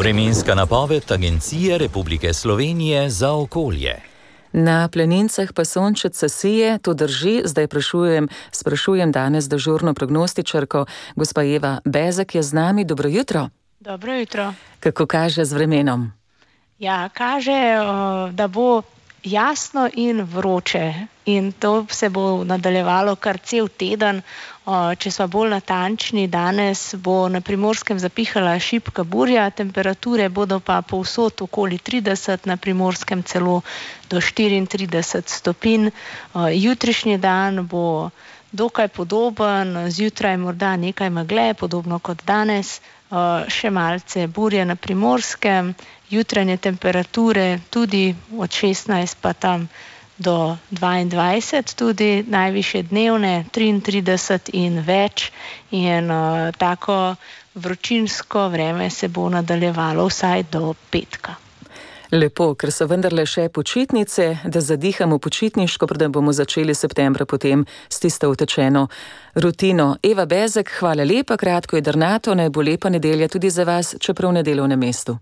Vremenska napoved Agencije Republike Slovenije za okolje. Na planincah pa sončece sije, to drži. Zdaj sprašujem danes dežurno prognostičarko, gospa Eva Bezek je z nami. Dobro jutro. Dobro jutro. Kako kaže z vremenom? Ja, kaže, da bo jasno in vroče in to se bo nadaljevalo kar cel teden. Če smo bolj natančni, danes bo na Primorskem zapihala šibka burja, temperature bodo pa povsod okoli 30, na Primorskem celo do 34 stopinj. Jutrišnji dan bo dokaj podoben, zjutraj morda nekaj megle, podobno kot danes, še malce burje na Primorskem, jutranje temperature tudi od 16 pa tam do 22, tudi najvišje dnevne 33 in več, in tako vročinsko vreme se bo nadaljevalo vsaj do petka. Lepo, ker so vendarle še počitnice, da zadihamo počitniško, preden bomo začeli septembra potem s tisto utečeno rutino. Eva Bezek, hvala lepa, kratko jedrnato, naj bo lepa nedelja tudi za vas, čeprav na delovnem mestu.